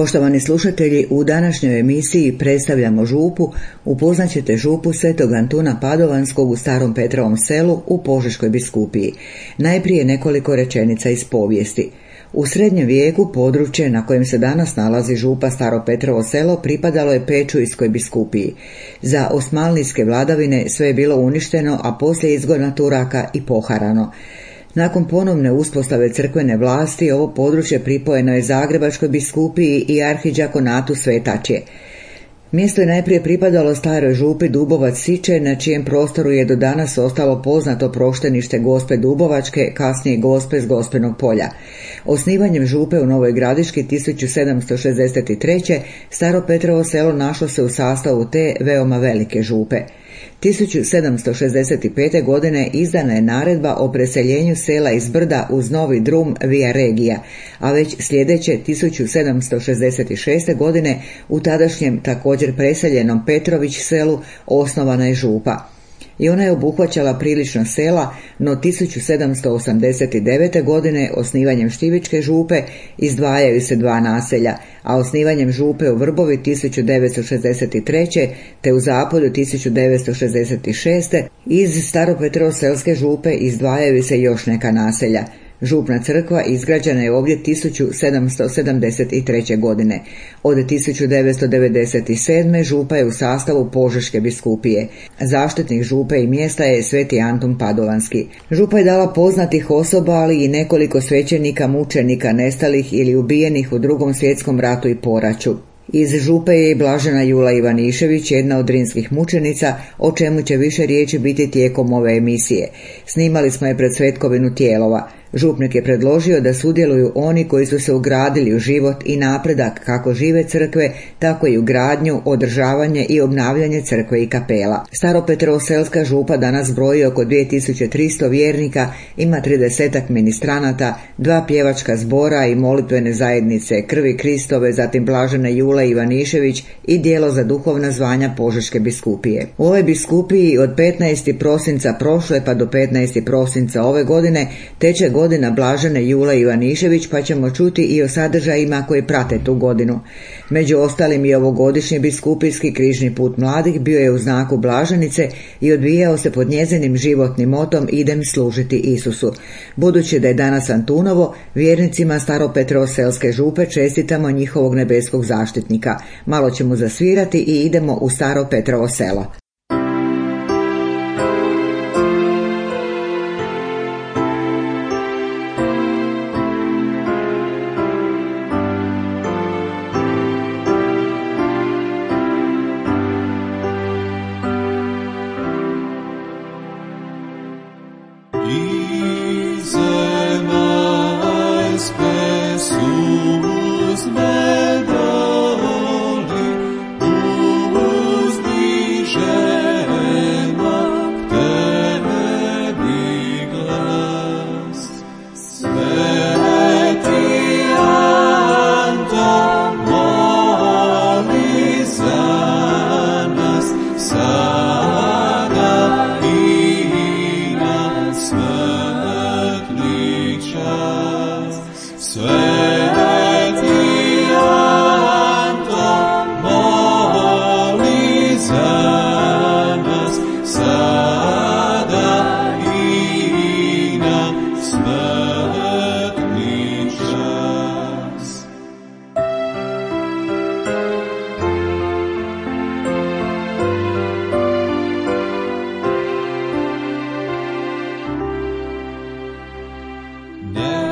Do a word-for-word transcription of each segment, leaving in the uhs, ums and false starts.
Poštovani slušatelji, u današnjoj emisiji predstavljamo župu. Upoznaćete župu Svetog Antuna Padovanskog u Starom Petrovom selu u Požeškoj biskupiji. Najprije nekoliko rečenica iz povijesti. U srednjem vijeku područje na kojem se danas nalazi župa Staro Petrovo selo pripadalo je Pečujskoj biskupiji. Za osmanlijske vladavine sve je bilo uništeno, a poslije izgona Turaka i poharano. Nakon ponovne uspostave crkvene vlasti ovo područje pripojeno je Zagrebačkoj biskupiji i arhidžakonatu Svetačje. Mjesto je najprije pripadalo staroj župi Dubovac Siče, na čijem prostoru je do danas ostalo poznato proštenište Gospe Dubovačke, kasnije Gospe s Gospenog polja. Osnivanjem župe u Novoj Gradiški tisuću sedamsto šezdeset treće. Staro Petrovo selo našlo se u sastavu te veoma velike župe. tisuću sedamsto šezdeset pete. godine izdana je naredba o preseljenju sela iz Brda uz Novi Drum via Regija, a već sljedeće tisuću sedamsto šezdeset šeste. godine u tadašnjem također preseljenom Petrović selu osnovana je župa. I ona je obuhvaćala prilično sela, no tisuću sedamsto osamdeset devete. godine osnivanjem Štivičke župe izdvajaju se dva naselja, a osnivanjem župe u Vrbovi tisuću devetsto šezdeset treće. te u Zapolju tisuću devetsto šezdeset šeste. iz Staropetrovo-selske župe izdvajaju se još neka naselja. Župna crkva izgrađena je ovdje tisuću sedamsto sedamdeset treće. godine. Od tisuću devetsto devedeset sedme. župa je u sastavu Požeške biskupije. Zaštitnik župe i mjesta je Sveti Antun Padovanski. Župa je dala poznatih osoba, ali i nekoliko svećenika, mučenika, nestalih ili ubijenih u Drugom svjetskom ratu i poraću. Iz župe je i blažena Jula Ivanišević, jedna od drinskih mučenica, o čemu će više riječi biti tijekom ove emisije. Snimali smo je pred Svetkovinu Tijelova. Župnik je predložio da sudjeluju oni koji su se ugradili u život i napredak kako žive crkve, tako i u gradnju, održavanje i obnavljanje crkve i kapela. Staropetrovo-selska župa danas broji oko dvije tisuće tristo vjernika, ima tridesetak ministranata, dva pjevačka zbora i molitvene zajednice Krvi Kristove, zatim blažene Jule Ivanišević i dijelo za duhovna zvanja Požeške biskupije. U ovoj biskupiji od petnaestog prosinca prošle pa do petnaestog prosinca ove godine teče godina blažene Jule Ivanišević, pa ćemo čuti i o sadržajima koji prate tu godinu. Među ostalim i ovogodišnji biskupijski križni put mladih bio je u znaku blaženice i odvijao se pod njezinim životnim motom Idem služiti Isusu. Budući da je danas Antunovo, vjernicima Staropetrovo-selske župe čestitamo njihovog nebeskog zaštitnika. Malo ćemo zasvirati i idemo u Staro Petrovo selo. Never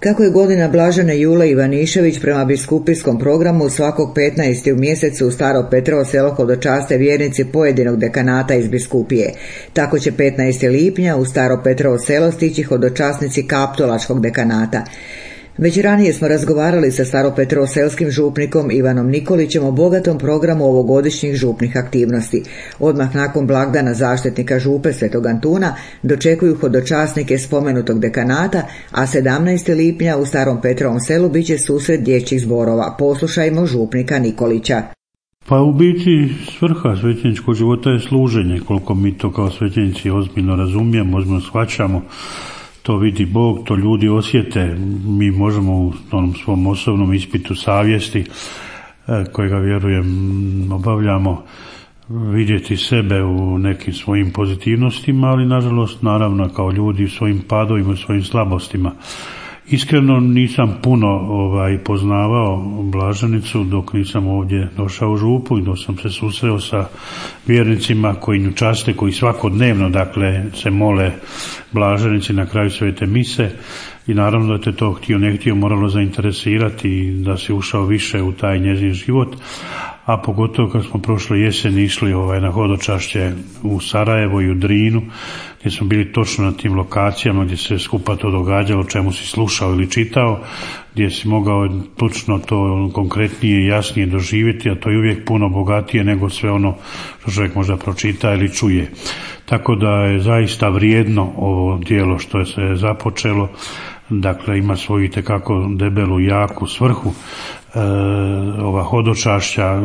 Kako je godina Blažene Jule Ivanišević prema biskupijskom programu svakog petnaestog u mjesecu u Staro Petrovo selo hodočaste vjernici pojedinog dekanata iz biskupije. Tako će petnaestog lipnja u Staro Petrovo selo stići hodočasnici Kaptolačkog dekanata. Već ranije smo razgovarali sa staropetrovselskim župnikom Ivanom Nikolićem o bogatom programu ovogodišnjih župnih aktivnosti. Odmah nakon blagdana zaštitnika župe Svetog Antuna dočekuju hodočasnike spomenutog dekanata, a sedamnaestog lipnja u Starom Petrovom selu bit će susret dječjih zborova. Poslušajmo župnika Nikolića. Pa u biti svrha svećeničkog života je služenje, koliko mi to kao svećenici ozbiljno razumijemo, ozbiljno shvaćamo. To vidi Bog, to ljudi osjete. Mi možemo u onom svom osobnom ispitu savjesti, kojega vjerujem obavljamo, vidjeti sebe u nekim svojim pozitivnostima, ali nažalost naravno kao ljudi u svojim padovima, u svojim slabostima. Iskreno nisam puno ovaj, poznavao Blaženicu dok nisam ovdje došao u župu i dok sam se susreo sa vjernicima koji nju časte, koji svakodnevno dakle se mole Blaženici na kraju svete mise i naravno da te to htio ne htio moralo zainteresirati i da si ušao više u taj njezin život, a pogotovo kad smo prošle jeseni išli ovaj, na hodočašće u Sarajevo i u Drinu, gdje smo bili točno na tim lokacijama gdje se skupa to događalo, čemu si slušao ili čitao, gdje si mogao točno to konkretnije i jasnije doživjeti, a to je uvijek puno bogatije nego sve ono što čovjek možda pročita ili čuje. Tako da je zaista vrijedno ovo djelo što se je započelo, dakle ima svoju itekako debelu, jaku svrhu. E, ova hodočašća,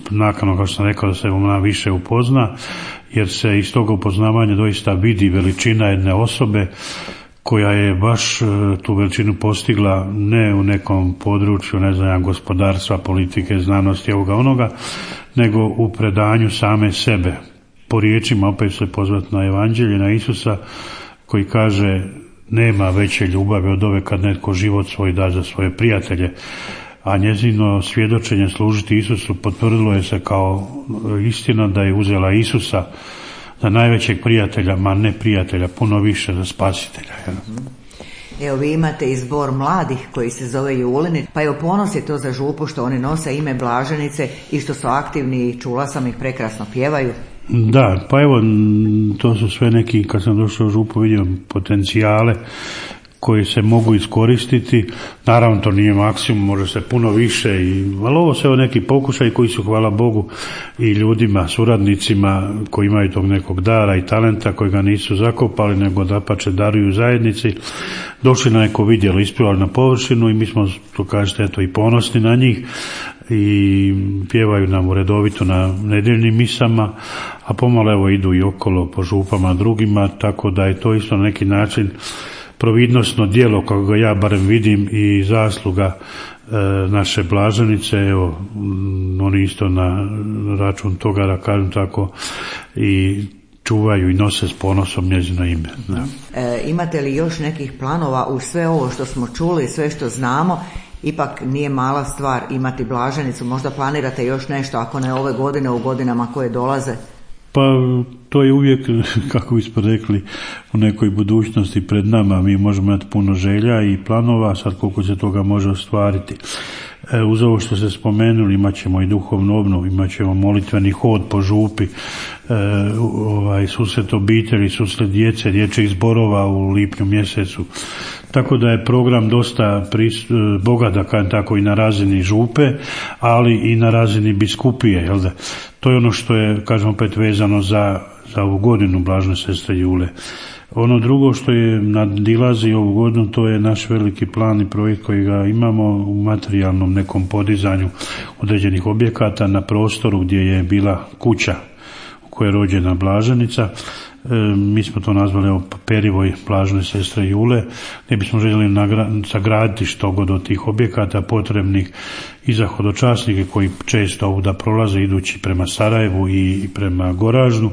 nakon kao što sam rekao da se ona više upozna, jer se iz toga upoznavanja doista vidi veličina jedne osobe koja je baš tu veličinu postigla ne u nekom području, ne znam, gospodarstva, politike, znanosti, ovoga onoga, nego u predanju same sebe. Po riječima opet se pozvati na Evanđelje, na Isusa, koji kaže nema veće ljubavi od ove kad netko život svoj da za svoje prijatelje. A njezino svjedočenje služiti Isusu potvrdilo je se kao istina da je uzela Isusa za najvećeg prijatelja, ma ne prijatelja, puno više za spasitelja. Evo, vi imate i zbor mladih koji se zove Julini, pa evo ponos je to za župu što oni nose ime Blaženice i što su aktivni i čula sam ih prekrasno pjevaju. Da, pa evo, to su sve neki, kad sam došao u župu vidio potencijale koji se mogu iskoristiti. Naravno to nije maksimum, može se puno više, i, ali ovo su neki pokušaj koji su, hvala Bogu, i ljudima, suradnicima koji imaju tog nekog dara i talenta koji ga nisu zakopali, nego dapače daruju zajednici, došli na neko vidjelo, ispjevali na površinu i mi smo, to kažete, eto, i ponosni na njih i pjevaju nam redovito na nedjeljnim misama, a pomalo evo idu i okolo po župama drugima, tako da je to isto na neki način providnosno djelo, kako ga ja barem vidim, i zasluga e, naše Blaženice. Evo, oni isto na račun toga, da kažem tako, i čuvaju i nose s ponosom njezino ime. Da. E, imate li još nekih planova uz sve ovo što smo čuli, sve što znamo? Ipak nije mala stvar imati Blaženicu, možda planirate još nešto, ako ne ove godine, u godinama koje dolaze? Pa to je uvijek, kako bismo rekli, u nekoj budućnosti pred nama. Mi možemo imati puno želja i planova, sad koliko se toga može ostvariti. E, uz ovo što ste spomenuli, imat ćemo i duhovnu obnovu, imat ćemo molitveni hod po župi, e, ovaj, susret obitelji, susret djece, dječjih zborova u lipnju mjesecu. Tako da je program dosta pris, bogat, da kažem tako, i na razini župe, ali i na razini biskupije. Jel da? To je ono što je, kažem opet, vezano za, za ovu godinu Blažene sestre Jule. Ono drugo što je nadilazi ovu godinu, to je naš veliki plan i projekt koji ga imamo u materijalnom nekom podizanju određenih objekata na prostoru gdje je bila kuća u kojoj je rođena Blaženica. E, mi smo to nazvali evo, Perivoj Blažene sestre Jule, gdje bismo željeli nagra- sagraditi što god od tih objekata potrebnih i za hodočasnike koji često ovuda prolaze idući prema Sarajevu i prema Goražnu,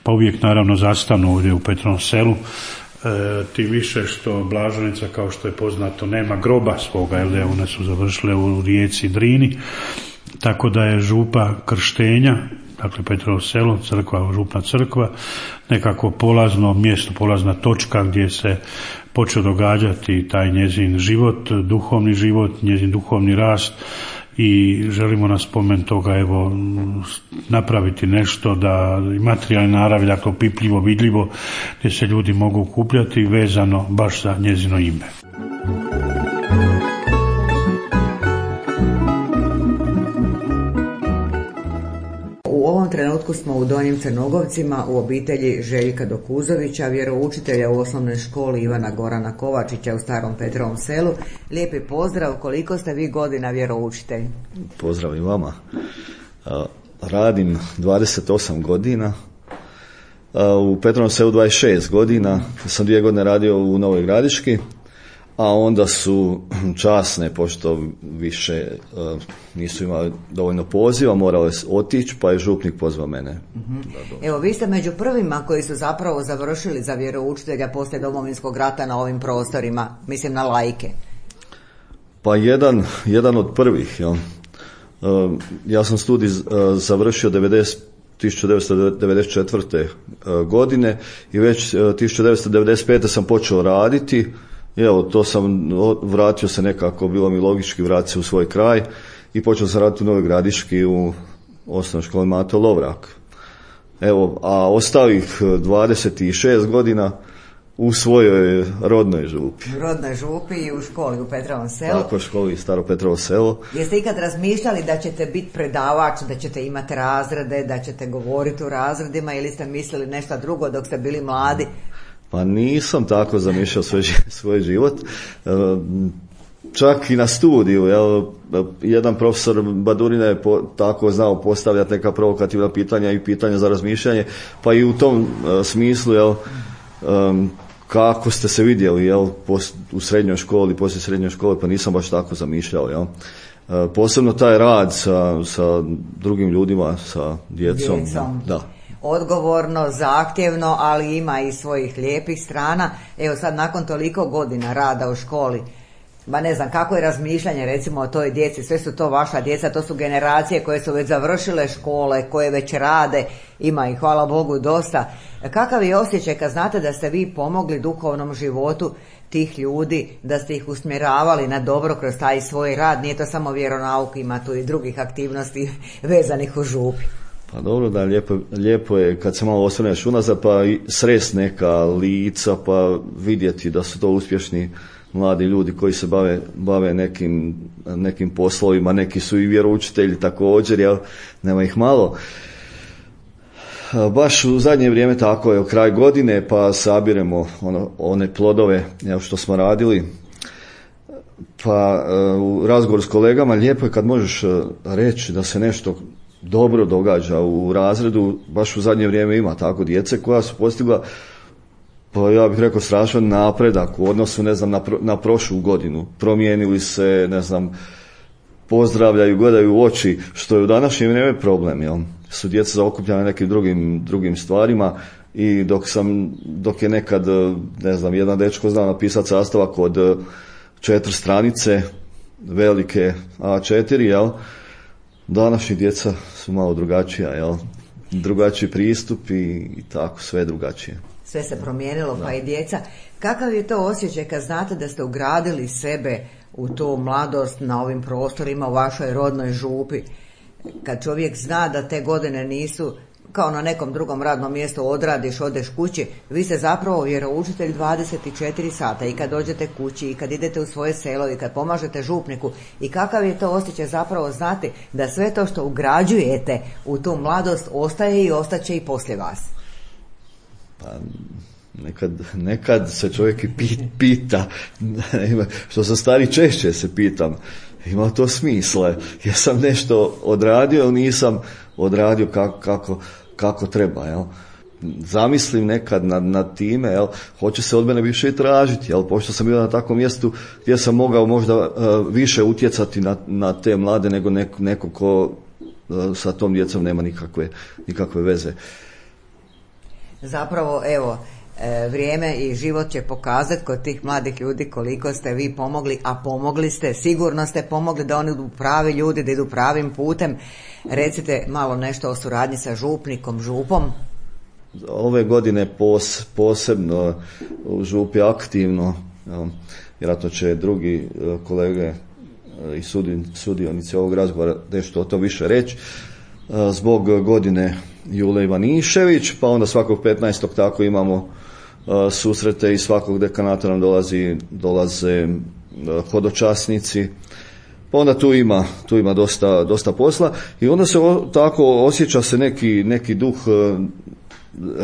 pa uvijek naravno zastanu ovdje u Petrovom selu. E, tim više što Blaženica, kao što je poznato, nema groba svoga, jer one su završile u rijeci Drini, tako da je župa krštenja, dakle Petrovo selo, crkva, župna crkva, nekako polazno mjesto, polazna točka gdje se počeo događati taj njezin život, duhovni život, njezin duhovni rast i želimo na spomen toga evo napraviti nešto da materijalne naravi, dakle opipljivo, vidljivo, gdje se ljudi mogu okupljati vezano baš za njezino ime. U ovom trenutku smo u Donjim Crnogovcima u obitelji Željka Dokuzovića, vjeroučitelja u osnovnoj školi Ivana Gorana Kovačića u Starom Petrovom Selu. Lijepi pozdrav, koliko ste vi godina vjeroučitelj? Pozdrav i vama. Radim dvadeset osam godina, u Petrovom Selu dvadeset šest godina, sam dvije godine radio u Novoj Gradiški, a onda su časne, pošto više uh, nisu imali dovoljno poziva, morali otići, pa je župnik pozvao mene. Mm-hmm. Evo, vi ste među prvima koji su zapravo završili za vjeroučitelja poslije Domovinskog rata na ovim prostorima, mislim na laike. Pa jedan, jedan od prvih. Ja, uh, ja sam studij uh, završio tisuću devetsto devedeset četvrte Uh, godine i već uh, tisuću devetsto devedeset pete sam počeo raditi. Evo, to sam, vratio se nekako, bilo mi logički vratiti se u svoj kraj i počeo sam raditi u Novoj Gradiški u osnovnoj školi Mato Lovrak. Evo, a ostalih dvadeset šest godina u svojoj rodnoj župi. U rodnoj župi i u školi u Petrovom Selu. Tako, školi Staro Petrovo Selo. Jeste ikad razmišljali da ćete biti predavač, da ćete imati razrede, da ćete govoriti u razredima ili ste mislili nešto drugo dok ste bili mladi? Pa nisam tako zamišljao svoj, svoj život. Čak i na studiju, jel, jedan profesor Badurina je po, tako znao postavljati neka provokativna pitanja i pitanja za razmišljanje, pa i u tom uh, smislu, jel, um, kako ste se vidjeli, jel, pos, u srednjoj školi, poslije srednjoj škole, pa nisam baš tako zamišljao, jel. Uh, posebno taj rad sa, sa drugim ljudima, sa djecom. Djecom. Da. Odgovorno, zahtjevno, ali ima i svojih lijepih strana. Evo sad nakon toliko godina rada u školi, ba ne znam kako je razmišljanje recimo o toj djeci, sve su to vaša djeca, to su generacije koje su već završile škole, koje već rade, ima i hvala Bogu dosta. Kakav je osjećaj kad znate da ste vi pomogli duhovnom životu tih ljudi, da ste ih usmjeravali na dobro kroz taj svoj rad, nije to samo vjeronauk, ima tu i drugih aktivnosti vezanih u župi. Pa dobro, da, lijepo, lijepo je kad se malo osvrneš unazad pa i srest neka lica pa vidjeti da su to uspješni mladi ljudi koji se bave, bave nekim, nekim poslovima, neki su i vjeroučitelji također, jel, nema ih malo. Baš u zadnje vrijeme tako je, kraj godine pa sabiremo ono, one plodove, jel, što smo radili. Pa u razgovoru s kolegama lijepo je kad možeš reći da se nešto dobro događa u razredu, baš u zadnje vrijeme ima tako djece koja su postigla, pa ja bih rekao, strašan napredak u odnosu, ne znam, na, pro, na prošlu godinu. Promijenili se, ne znam, pozdravljaju, gledaju u oči, što je u današnje vrijeme problem, jel? Su djeca zaokupljena nekim drugim, drugim stvarima i dok sam, dok je nekad, ne znam, jedan dečko znao napisati sastavak od četiri stranice, velike A četiri, jel? Današnji djeca su malo drugačija, jel? Drugačiji pristup i, i tako, sve drugačije. Sve se promijenilo, pa i djeca. Kakav je to osjećaj kad znate da ste ugradili sebe u tu mladost na ovim prostorima u vašoj rodnoj župi? Kad čovjek zna da te godine nisu kao na nekom drugom radnom mjestu, odradiš, odeš kući, vi ste zapravo vjeroučitelj dvadeset četiri sata i kad dođete kući i kad idete u svoje selo i kad pomažete župniku. I kakav je to osjećaj zapravo znati da sve to što ugrađujete u tu mladost ostaje i ostaće i poslije vas? Pa nekad, nekad se čovjek i pita, što sam stari češće se pitam, ima to smisla, jesam nešto odradio ili nisam odradio kako, kako, kako treba, jel? Zamislim nekad nad, nad time, jel? Hoće se od mene više i tražiti, jel? Pošto sam bio na takvom mjestu gdje sam mogao možda uh, više utjecati na, na te mlade nego neko, neko ko uh, sa tom djecom nema nikakve, nikakve veze. Zapravo, evo, e, vrijeme i život će pokazati kod tih mladih ljudi koliko ste vi pomogli, a pomogli ste, sigurno ste pomogli da oni idu pravi ljudi, da idu pravim putem. Recite malo nešto o suradnji sa župnikom, župom. ove godine pos, posebno u župi aktivno, ja, vjerojatno će drugi kolege i sudionici ovog razgovora nešto o to više reći, zbog godine Jule Ivanišević, pa onda svakog petnaestog tako imamo susrete i svakog dekanata nam dolazi, dolaze hodočasnici, pa onda tu ima, tu ima dosta, dosta posla i onda se o, tako osjeća se neki, neki duh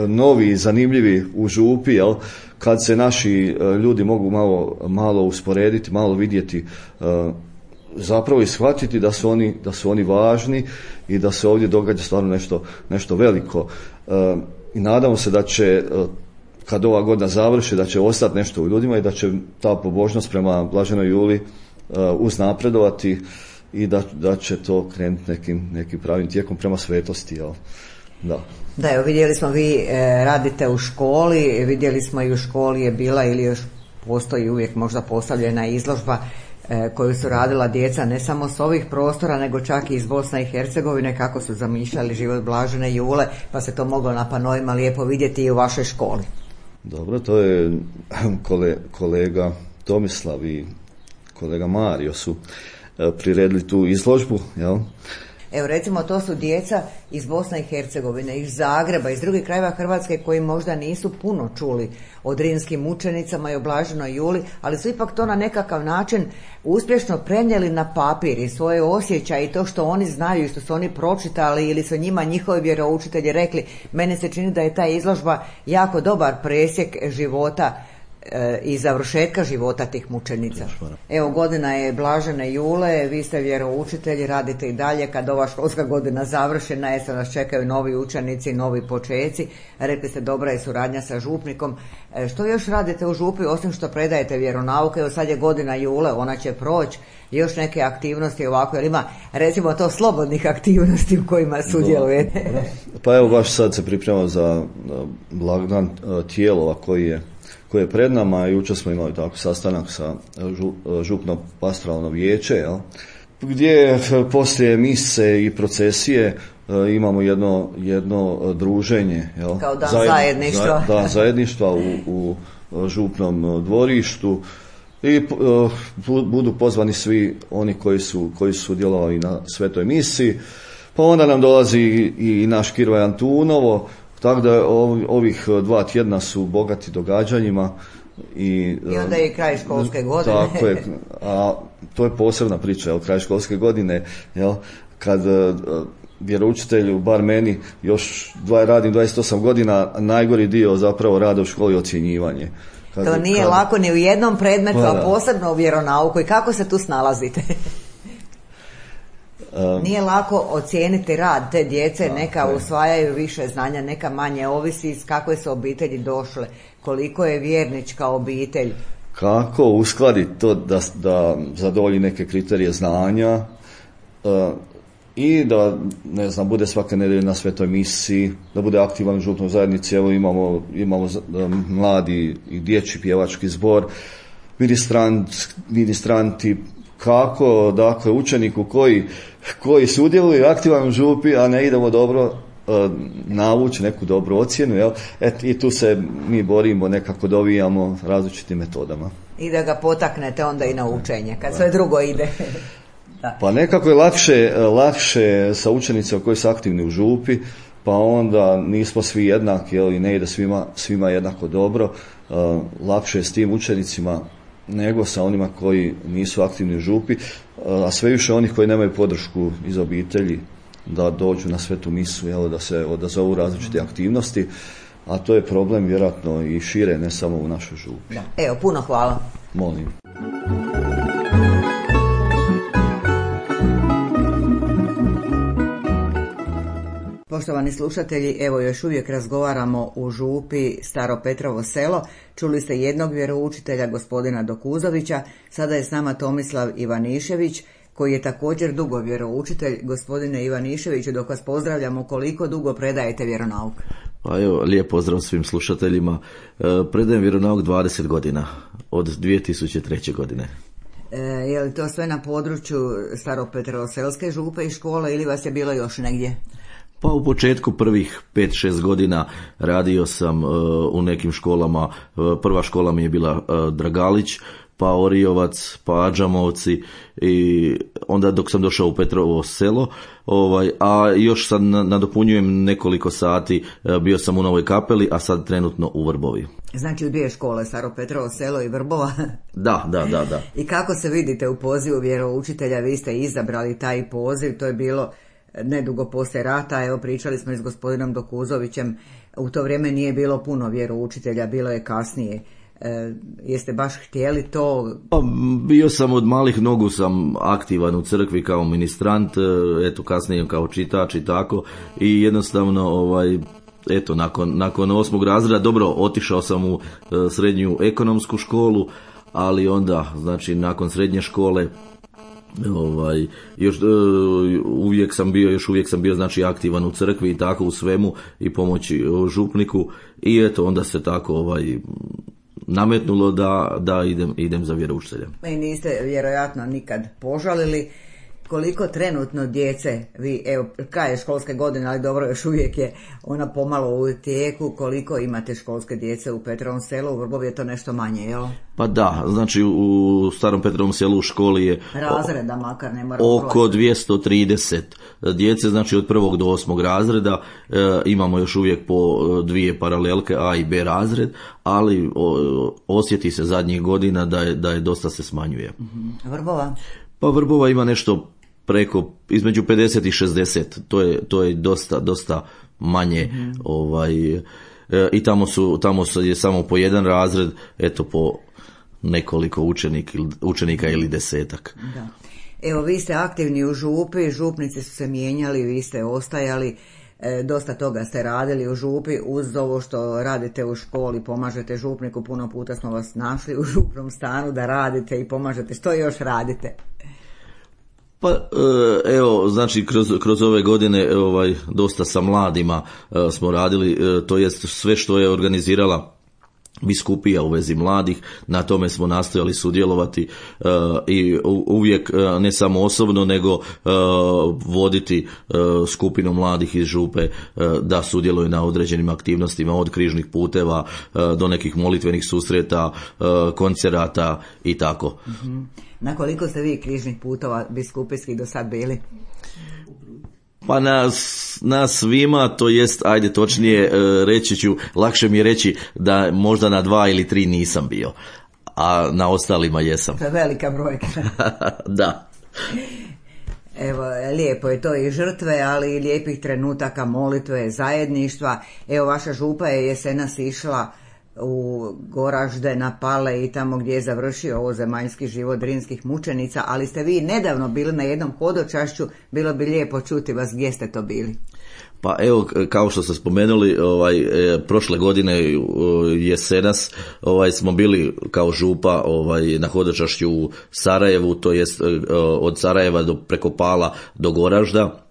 novi, zanimljivi u župi, jel? Kad se naši ljudi mogu malo, malo usporediti, malo vidjeti, zapravo i shvatiti da su oni, da su oni važni i da se ovdje događa stvarno nešto, nešto veliko. I nadamo se da će, kad ova godina završi, da će ostati nešto u ljudima i da će ta pobožnost prema Blaženoj Juli uznapredovati i da, da će to krenuti nekim, nekim pravim tijekom prema svetosti, jel? Da. Da, evo vidjeli smo, vi e, radite u školi, vidjeli smo i u školi je bila ili još postoji uvijek možda postavljena izložba e, koju su radila djeca ne samo s ovih prostora nego čak i iz Bosne i Hercegovine, kako su zamišljali život Blažene Jule, pa se to moglo na panoima lijepo vidjeti i u vašoj školi. Dobro, to je kole, kolega Tomislav i kolega Mario su e, priredili tu izložbu, jel? Evo recimo, to su djeca iz Bosne i Hercegovine, iz Zagreba, iz drugih krajeva Hrvatske koji možda nisu puno čuli o drimskim mučenicama i o Blaženoj Juli, ali su ipak to na nekakav način uspješno prenijeli na papir i svoje osjećaje i to što oni znaju i što su oni pročitali ili su njima njihovi vjeroučitelji rekli. Meni se čini da je ta izložba jako dobar presjek života i završetka života tih mučenica. Evo, godina je Blažene Jule, vi ste vjeroučitelji, radite i dalje. Kad ova školska godina završena je, sad nas čekaju novi učenici, novi počeci. Rekli ste, dobra je suradnja sa župnikom. Što još radite u župi osim što predajete vjeronauke? Evo sad je godina Jule, ona će proći. Još neke aktivnosti ovako, jer ima recimo to slobodnih aktivnosti u kojima sudjelujete? Pa evo, baš sad se pripremamo za blagdan Tijelova koji je koje je pred nama. Jučer smo imali tako sastanak sa župno pastoralno vijeće, jel? Gdje poslije mise i procesije imamo jedno, jedno druženje, jel? Kao dan Zajed, zajedništva. Da, zajedništva u, u župnom dvorištu i uh, budu pozvani svi oni koji su, koji su sudjelovali na svetoj misiji. Pa onda nam dolazi i, i naš Kirvaj Antunovo. Tako da ovih dva tjedna su bogati događanjima. I, I onda je i kraj školske godine. Tako je, a to je posebna priča, jel, kraj školske godine, jel, kad vjeroučitelju, bar meni, još dva, radim dvadeset osam godina, najgori dio zapravo rada u školi je ocjenjivanje. Kad, to nije kad, lako ni u jednom predmetu, a posebno u vjeronauku. I kako se tu snalazite? Um, Nije lako ocijeniti rad te djece, da, neka ne. usvajaju više znanja, neka manje, ovisi iz kakve su obitelji došle, koliko je vjernička obitelj. Kako uskladiti to da, da zadovolji neke kriterije znanja uh, i da, ne znam, bude svake nedelje na svetoj misiji, da bude aktivan u župnoj zajednici. Evo imamo, imamo um, mladi i dječji pjevački zbor, ministrant, ministranti, kako, dakle, učeniku koji, koji sudjeluje aktivan u župi, a ne idemo dobro uh, navući neku dobru ocjenu, jel? Et, i tu se mi borimo, nekako dovijamo različitim metodama. I da ga potaknete onda i na učenje, kad sve drugo ide. Da. Pa nekako je lakše, lakše sa učenicima koji su aktivni u župi, pa onda nismo svi jednaki, jel? I ne ide svima, svima jednako dobro. Uh, lakše je s tim učenicima nego sa onima koji nisu aktivni u župi, a sve više onih koji nemaju podršku iz obitelji da dođu na svetu misu, jel, da se odazovu različite aktivnosti, a to je problem vjerojatno i šire, ne samo u našoj župi. Da. Evo, puno hvala. Molim. Poštovani slušatelji, evo još uvijek razgovaramo u župi Staro Petrovo selo. Čuli ste jednog vjeroučitelja, gospodina Dokuzovića, sada je s nama Tomislav Ivanišević, koji je također dugo vjeroučitelj. Gospodine Ivaniševiću, dok vas pozdravljamo, koliko dugo predajete vjeronauk? Pa evo, lijep pozdrav svim slušateljima. E, predajem vjeronauk dvadeset godina, od dvije tisuće treće. godine. E, je li to sve na području Staropetrovselske župe i škole ili vas je bilo još negdje? Pa u početku prvih pet šest godina radio sam uh, u nekim školama. Uh, prva škola mi je bila uh, Dragalić, pa Oriovac, pa Ađamovci i onda dok sam došao u Petrovo Selo, ovaj, a još sad nadopunjujem nekoliko sati, bio sam u Novoj Kapeli, a sad trenutno u Vrbovi. Znači u dvije škole, Staro Petrovo Selo i Vrbova. Da, da, da, da. I kako se vidite u pozivu vjeroučitelja, vi ste izabrali taj poziv, to je bilo nedugo poslije rata, evo pričali smo i s gospodinom Dokuzovićem, u to vrijeme nije bilo puno vjeroučitelja, bilo je kasnije. E, jeste baš htjeli to? Pa, bio sam od malih nogu sam aktivan u crkvi kao ministrant, eto kasnije kao čitač i tako, i jednostavno ovaj eto nakon, nakon osmog razreda, dobro, otišao sam u e, srednju ekonomsku školu, ali onda znači nakon srednje škole ovaj još e, uvijek sam bio još uvijek sam bio znači aktivan u crkvi i tako u svemu i pomoći župniku, i eto onda se tako ovaj nametnulo da, da idem, idem za vjeroučitelja. I niste vjerojatno nikad požalili. Koliko trenutno djece, vi, evo, kraj je školske godine, ali dobro, još uvijek je ona pomalo u tijeku, koliko imate školske djece u Petrovom Selu, u Vrbovi je to nešto manje, jel? Pa da, znači u Starom Petrovom Selu u školi je razreda, makar ne mora oko dvjesto trideset djece, znači od prvog do osmog razreda, e, imamo još uvijek po dvije paralelke, A i B razred, ali o, osjeti se zadnjih godina da je, da je dosta se smanjuje. Mm-hmm. Vrbova? Pa Vrbova ima nešto preko, između pedeset i šezdeset, to je, to je dosta, dosta manje, mm-hmm. ovaj, e, i tamo su, tamo su je samo po jedan razred, eto po nekoliko učenik, učenika ili desetak. Da. Evo, vi ste aktivni u župi, župnici su se mijenjali, vi ste ostajali, e, dosta toga ste radili u župi, uz ovo što radite u školi, pomažete župniku, puno puta smo vas našli u župnom stanu da radite i pomažete, što još radite? Pa evo, znači kroz, kroz ove godine ovaj, dosta sa mladima smo radili, to jest sve što je organizirala biskupija u vezi mladih, na tome smo nastojali sudjelovati uh, i uvijek uh, ne samo osobno nego uh, voditi uh, skupinu mladih iz župe uh, da sudjeluju na određenim aktivnostima, od križnih puteva uh, do nekih molitvenih susreta, uh, koncerata i tako. Mm-hmm. Na koliko ste vi križnih putova biskupijskih do sad bili? Pa na, na svima, to jest, ajde točnije reći ću, lakše mi je reći da možda na dva ili tri nisam bio, a na ostalima jesam. To je velika brojka. Da. Evo, lijepo je to i žrtve, ali i lijepih trenutaka molitve, zajedništva. Evo, vaša župa je jesenas išla u Goražde, na Pale i tamo gdje je završio ovo zemaljski život drinskih mučenica, ali ste vi nedavno bili na jednom hodočašću, bilo bi lijepo čuti vas, gdje ste to bili? Pa evo, kao što ste spomenuli, ovaj, e, prošle godine jesenas ovaj, smo bili kao župa ovaj, na hodočašću u Sarajevu, to jest e, od Sarajeva do, preko Pala do Goražda,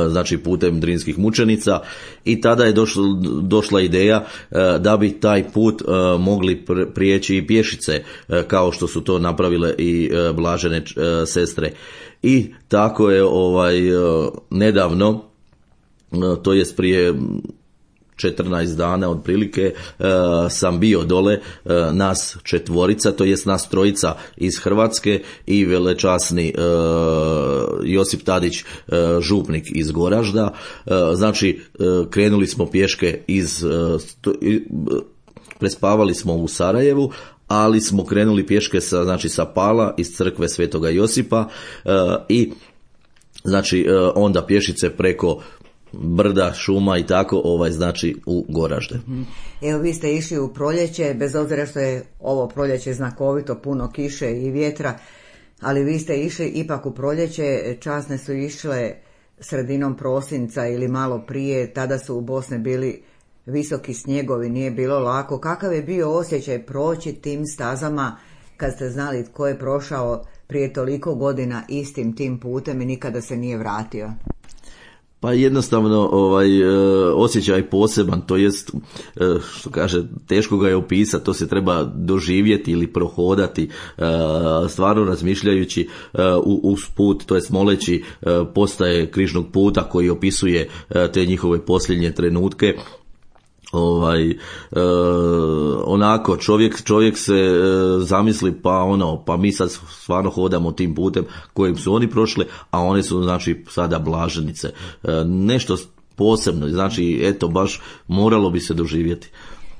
znači putem drinskih mučenica, i tada je došla, došla ideja da bi taj put mogli prijeći i pješice, kao što su to napravile i blažene sestre. I tako je ovaj nedavno, to jest prije četrnaest dana otprilike, sam bio dole, nas četvorica, to jest nas trojica iz Hrvatske i velečasni Josip Tadić, župnik iz Goražda. Znači krenuli smo pješke iz, prespavali smo u Sarajevu, ali smo krenuli pješke sa, znači sa Pala iz crkve Svetoga Josipa, i znači onda pješice preko brda, šuma i tako, ovaj, znači u Goražde. Evo, vi ste išli u proljeće, bez obzira što je ovo proljeće znakovito, puno kiše i vjetra, ali vi ste išli ipak u proljeće, časne su išle sredinom prosinca ili malo prije, tada su u Bosni bili visoki snjegovi, nije bilo lako. Kakav je bio osjećaj proći tim stazama kad ste znali tko je prošao prije toliko godina istim tim putem i nikada se nije vratio? Pa jednostavno ovaj osjećaj poseban, to jest što kaže, teško ga je opisati, to se treba doživjeti ili prohodati, stvarno razmišljajući uz put, to jest moleći postaje Križnog puta koji opisuje te njihove posljednje trenutke. Ovaj e, onako čovjek čovjek se e, zamisli pa ono pa mi sad stvarno hodamo tim putem kojim su oni prošli, a one su znači sada blaženice. E, nešto posebno, znači eto baš moralo bi se doživjeti.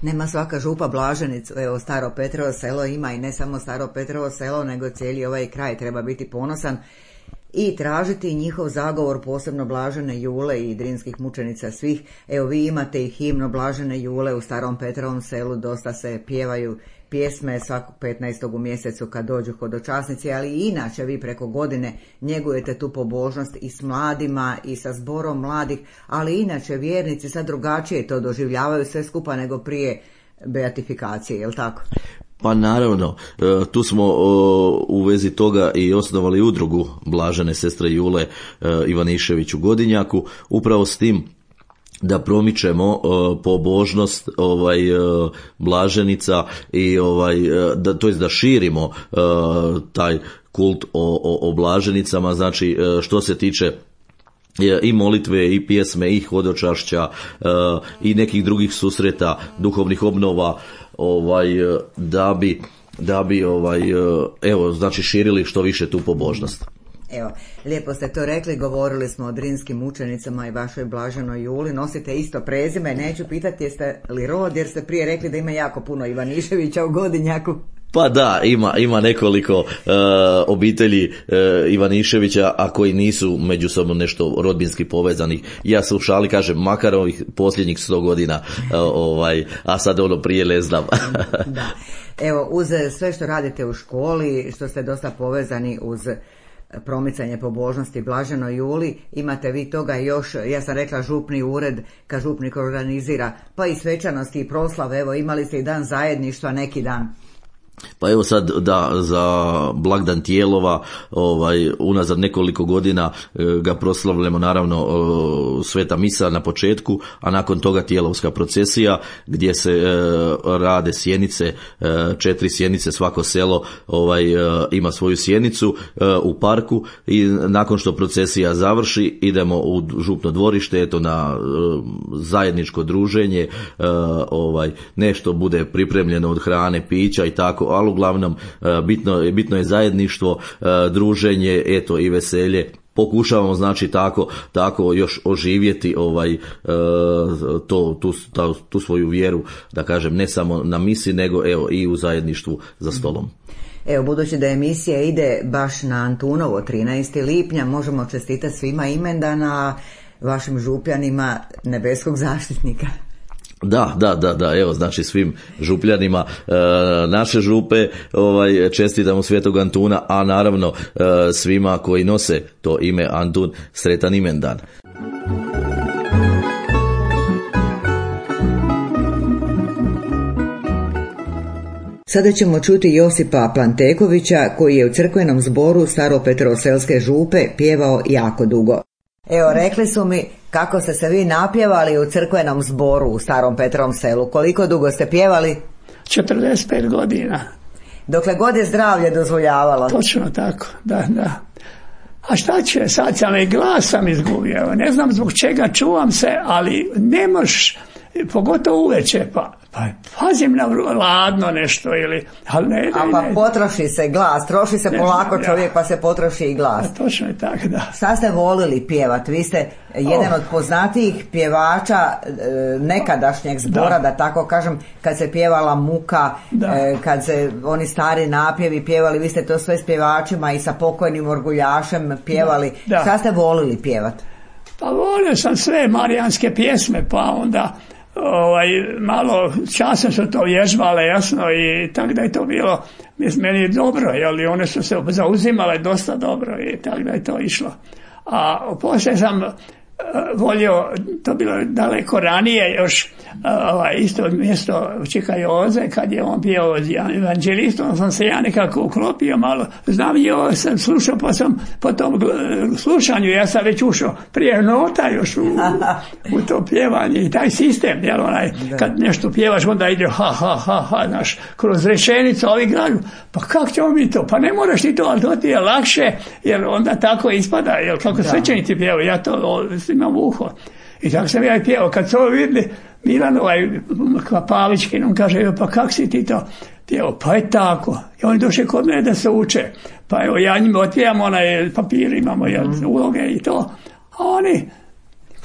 Nema svaka župa blaženicu, evo Staro Petrovo selo ima, i ne samo Staro Petrovo selo, nego cijeli ovaj kraj treba biti ponosan i tražiti njihov zagovor, posebno Blažene Jule i drinskih mučenica svih. Evo vi imate i himnu Blažene Jule u Starom Petrovom selu, dosta se pjevaju pjesme svakog petnaestog u mjesecu kad dođu hodočasnici, ali i inače vi preko godine njegujete tu pobožnost i s mladima i sa zborom mladih, ali inače vjernici sad drugačije to doživljavaju sve skupa nego prije beatifikacije, je li tako? Pa naravno, tu smo u vezi toga i osnovali udrugu Blažene sestre Jule Ivanišević u Godinjaku, upravo s tim da promičemo pobožnost ovaj blaženica i ovaj da to jest da širimo taj kult o, o, o blaženicama, znači što se tiče i molitve i pjesme i hodočašća i nekih drugih susreta, duhovnih obnova, ovaj da bi da bi ovaj evo znači širili što više tu pobožnost. Evo, lijepo ste to rekli, govorili smo o drinskim mučenicama i vašoj Blaženoj Juli, nosite isto prezime, neću pitati jeste li rod, jer ste prije rekli da ima jako puno Ivaniševića u Godinjaku. Pa da, ima, ima nekoliko uh, obitelji uh, Ivaniševića, a koji nisu međusobno nešto rodbinski povezanih. Ja se u šali kažem, makar ovih posljednjih sto godina, uh, ovaj, a sad ono prije ne znam. Da. Evo, uz sve što radite u školi, što ste dosta povezani uz promicanje pobožnosti Blaženoj Juli, imate vi toga još, ja sam rekla župni ured, kad župnik organizira, pa i svečanosti i proslave, evo imali ste i dan zajedništva neki dan. Pa evo sad da za blagdan Tijelova ovaj unazad nekoliko godina e, ga proslavljamo naravno e, sveta misa na početku, a nakon toga Tijelovska procesija gdje se e, rade sjenice, e, četiri sjenice, svako selo ovaj e, ima svoju sjenicu e, u parku i nakon što procesija završi idemo u župno dvorište, eto na e, zajedničko druženje, e, ovaj nešto bude pripremljeno od hrane, pića i tako, ali uglavnom bitno, bitno je zajedništvo, druženje, eto i veselje. Pokušavamo znači tako, tako još oživjeti ovaj to, tu, ta, tu svoju vjeru, da kažem, ne samo na misi, nego evo i u zajedništvu za stolom. Evo, budući da emisija ide baš na Antunovo trinaestog lipnja, možemo čestitati svima imendana, vašim župljanima nebeskog zaštitnika. Da, da, da, da, evo znači svim župljanima e, naše župe ovaj, čestitamo Svetog Antuna, a naravno e, svima koji nose to ime Antun, sretan imendan. Sada ćemo čuti Josipa Plantekovića koji je u crkvenom zboru Staropetroselske župe pjevao jako dugo. Evo, rekli su mi kako ste se vi napjevali u crkvenom zboru u Starom Petrovom selu. Koliko dugo ste pjevali? četrdeset pet godina. Dokle god je zdravlje dozvoljavalo. Točno tako, da, da. A šta će, sad sam i glas sam izgubio. Ne znam zbog čega, čuvam se, ali ne moš, pogotovo uveče, pa, pa pazim na ladno nešto ili, ali ne, ne, A pa ne. Potroši se glas, troši se ne polako znam, čovjek, ja. Pa se potroši i glas. A točno je tako, da. Šta ste volili pjevat? Vi ste jedan oh. od poznatijih pjevača e, nekadašnjeg zbora, da. da tako kažem, kad se pjevala Muka, e, kad se oni stari napjevi pjevali, vi ste to sve s pjevačima i sa pokojnim Orguljašem pjevali. Da. Da. Šta ste volili pjevat? Pa volio sam sve marijanske pjesme, pa onda ovaj, malo časem su to vježbale, jasno, i tako da je to bilo, meni je dobro, jer one su se zauzimale dosta dobro i tako da je to išlo. A poslije sam volio, to bilo daleko ranije još, ovaj, isto mjesto Čika Joze, kad je on bio evanđelistom, sam se ja nekako uklopio malo, znam jo, sam slušao, pa sam po tom slušanju, ja sam već ušao prije nota još u, u to pjevanje i taj sistem, jel onaj, kad nešto pjevaš, onda ide ha, ha, ha, ha, znaš, kroz rečenicu, ovi graju, pa kako ćemo mi to, pa ne moraš ti to, ali to ti je lakše, jer onda tako ispada, jel, kako svećenici pjevaju, ja to imam uho. I tako sam ja i pjevao. Kad su ovo vidjeli, Milan ovaj Pavlički nam kaže, pa kak si ti to pjevao? Pa je tako. I oni došli kod mene da se uče. Pa evo, ja njima otpjevam onaj papir, imamo jel, uloge i to. A oni,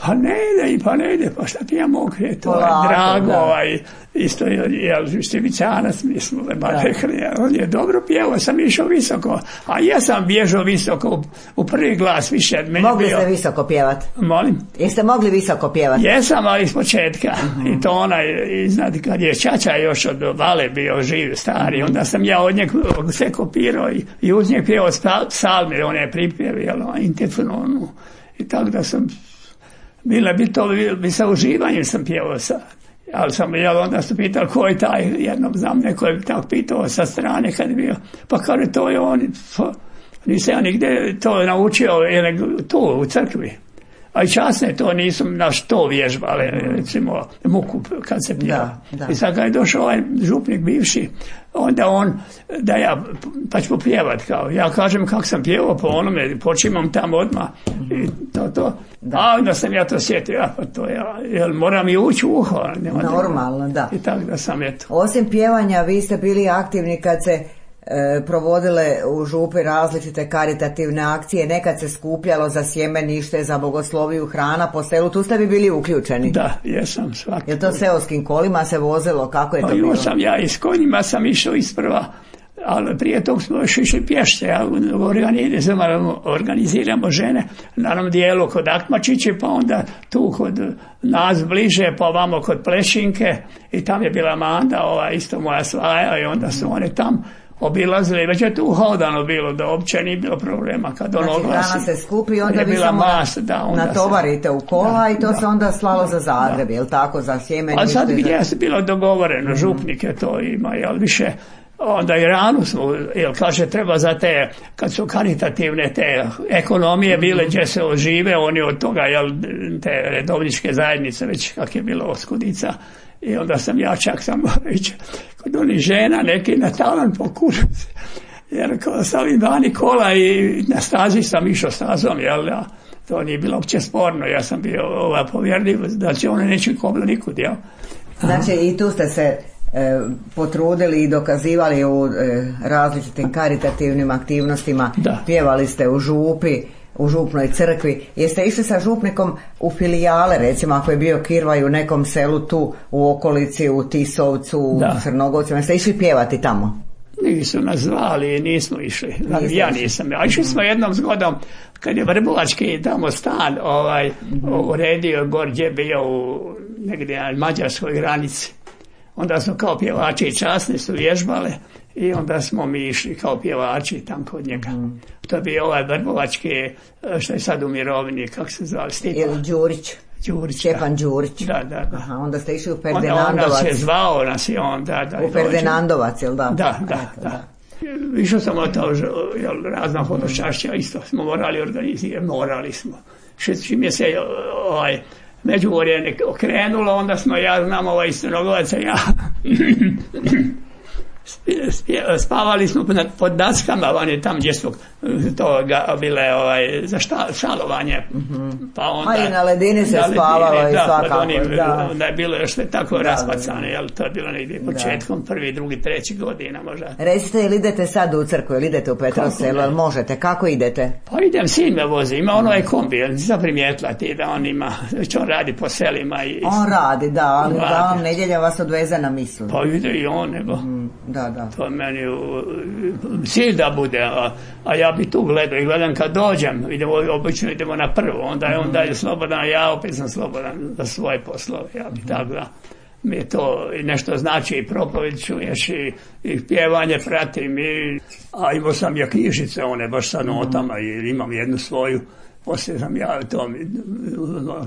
pa ne ide, pa ne ide, pa šta ti ja mogu, je to Polako, drago, da. Ovaj, isto je, jel, Štivicanac, mi smo ba rekli, on je dobro pjevao, sam išao visoko, a ja sam bježao visoko u, u prvi glas više. Mogli bio, ste visoko pjevat? Molim? Jeste mogli visoko pjevat? Jesam, ali iz početka, uh-huh. I to onaj, znate, kad je Čača još od Vale bio živ, stari, onda sam ja od njeg sve kopirao i, i uz njeg pjevao psalme, on je pripjev, jel, Intefnonu, i tako da sam Bilo bi to, bi sa uživanjem sam pjevao sad. Ali sam, jel, onda su pitali ko je taj, jednom znam, neko je tako pitao sa strane kad je bio. Pa kaže, to je on, pa, nisam ja nigde to naučio, jer tu u crkvi. A i časne to nisam na što vježbali, recimo muku kad se pjeva. Da, da. I sad kad je došao ovaj župnik bivši, onda on, da ja, pa ću popjevat kao, ja kažem kako sam pjevao po onome, počimam tamo odmah i to, to. Da. A onda sam ja to sjetio, ja, pa to ja, jel moram i ući u uho. Normalno, da. I tako da sam eto. Osim pjevanja, vi ste bili aktivni kad se E, provodile u župi različite karitativne akcije, nekad se skupljalo za sjemenište, za bogosloviju, hrana po selu, tu ste bi bili uključeni? Da, jesam svaki. Je to seoskim kolima se vozilo, kako je to pa bilo? Sam ja i s konjima sam išao isprva, ali prije tog smo još išli pješće, ja, organiziramo, organiziramo žene na onom dijelu kod Akmačiće, pa onda tu kod nas bliže, pa ovamo kod Plešinke i tam je bila Manda, ova isto moja svaja i onda su one tam obilazili, već je tu hodano bilo, da uopće nije bilo problema kad on znači, oglasi. Znači hrana se skupi, onda vi samo masa, da, onda natovarite se, u kola da, i to da, se onda slalo za Zagreb, jel tako, za sjemenište? Ali sad gdje za... je bilo dogovoreno, mm-hmm. župnike to ima, jel više, onda i ranu smo, jel kaže treba za te, kad su karitativne te ekonomije bile gdje se ožive, oni od toga, jel, te redovničke zajednice, već kak je bilo oskudica. I onda sam ja čak sam reći, kod onih žena neki na talan pokušao se. Jer kao sam ovim dani kola i na stazi sam išao stazom, jel da, to nije bilo uopće sporno, ja sam bio ovaj, povjerljiv da će one neće koblo nikud, jel. Znači i tu ste se e, potrudili i dokazivali u e, različitim karitativnim aktivnostima, da. Pjevali ste u župi, u župnoj crkvi. Jeste išli sa župnikom u filijale, recimo ako je bio Kirvaj u nekom selu tu u okolici, u Tisovcu, u Crnogovcu, jeste išli pjevati tamo? Nisu nas zvali, nismo išli. Nisam ja nisam. A išli smo jednom zgodom, kad je Vrbovački tamo stan ovaj, mm-hmm. uredio gor gdje bio u negdje na mađarskoj granici. Onda smo kao pjevači i časni su vježbale i onda smo mi išli kao pjevači tam kod njega. Mm. To je bio ovaj Vrbovački, što je sad u mirovini, kako se zvali, Stipa. Ili Đurić. Đurić. Šćepan Đurić. Da, da, da. Aha, onda ste išli u Ferdinandovac. Onda on nas je zvao, nas je on, da, da. U Ferdinandovac, jel da? Da, da, Eto, da. da. Išao sam od to, jel, razna hodočašća, isto smo morali organizirati, morali smo. Čim je se, ovaj, Međugorje okrenulo, onda smo, ja znam, ovaj Crnogovac, ja spavali smo pod daskama, oni tam gdje su to bile ovaj, za šta, šalovanje. Mm-hmm. Pa onda, a i na ledini se spavalo ledini, i svakako. Onim, da, da je bilo još sve tako da, raspacano, jel, to je bilo negdje početkom, prvi, drugi, treći godina možda. Recite, ili idete sad u crkvu, ili idete u Petrov selo, ali možete, kako idete? Pa idem, sin me vozi, ima ono je kombi, nisam primijetila ti da on ima, već on radi po selima. I, on radi, da, ali da on nedjelja vas odveze na mislu. Pa ide i on, nego. Mm, da, da. To je meni cilj da bude, a, a ja bi tu gledao i gledam kad dođem, idemo, obično idemo na prvo, onda je on dalje slobodan, a ja opet sam slobodan za svoje poslove, ja bi tako da mi je to nešto znači i propovjed čuješ i, i pjevanje pratim, i, a imao sam ja knjižice, one baš sa notama i imam jednu svoju poslije sam ja to,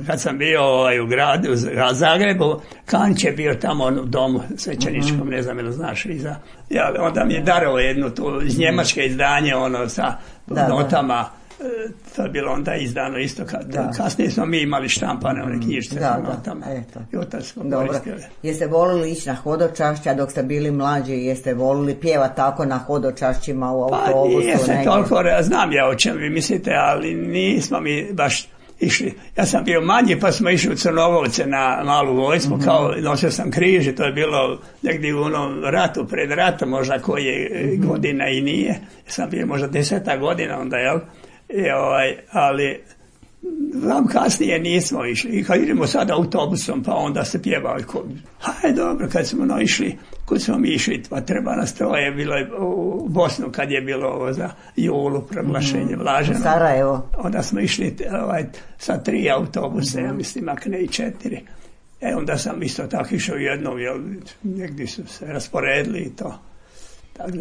kad sam bio ovaj, u gradu, u Zagrebu, Kanć je bio tamo u domu svećeničkom, ne znam ili znaš, iza. Ja, onda mi je darovao jedno tu iz njemačke izdanje, ono sa da, notama. Da. To je bilo onda izdano isto, kad, kasnije smo mi imali štampane one knjižice sa notama. I otac smo koristili. Jeste volili ići na hodočašća dok ste bili mlađi, jeste volili pjevati tako na hodočašćima u autobusu? Pa nije se toliko, znam ja o čemu vi mislite, ali nismo mi baš išli. Ja sam bio manji pa smo išli u Crnogovce na malu vojsku, mm-hmm. kao nosio sam križ i to je bilo negdje u onom ratu, pred ratom, možda koje mm-hmm. godina i nije. Ja sam bio možda deseta godina onda, jel? I ovaj, ali vam kasnije nismo išli. I kad idemo sad autobusom, pa onda se pjevali. Hajde, dobro, kad smo no išli, kud smo mi išli, pa treba nas troje, bilo je u Bosnu kad je bilo ovo za julu, proglašenje Blaženo. U Sarajevo. Onda smo išli ovaj, sa tri autobuse, mm-hmm. ja mislim, ak ne i četiri. E, onda sam isto tako išao jednom, jel, negdje su se rasporedili i to.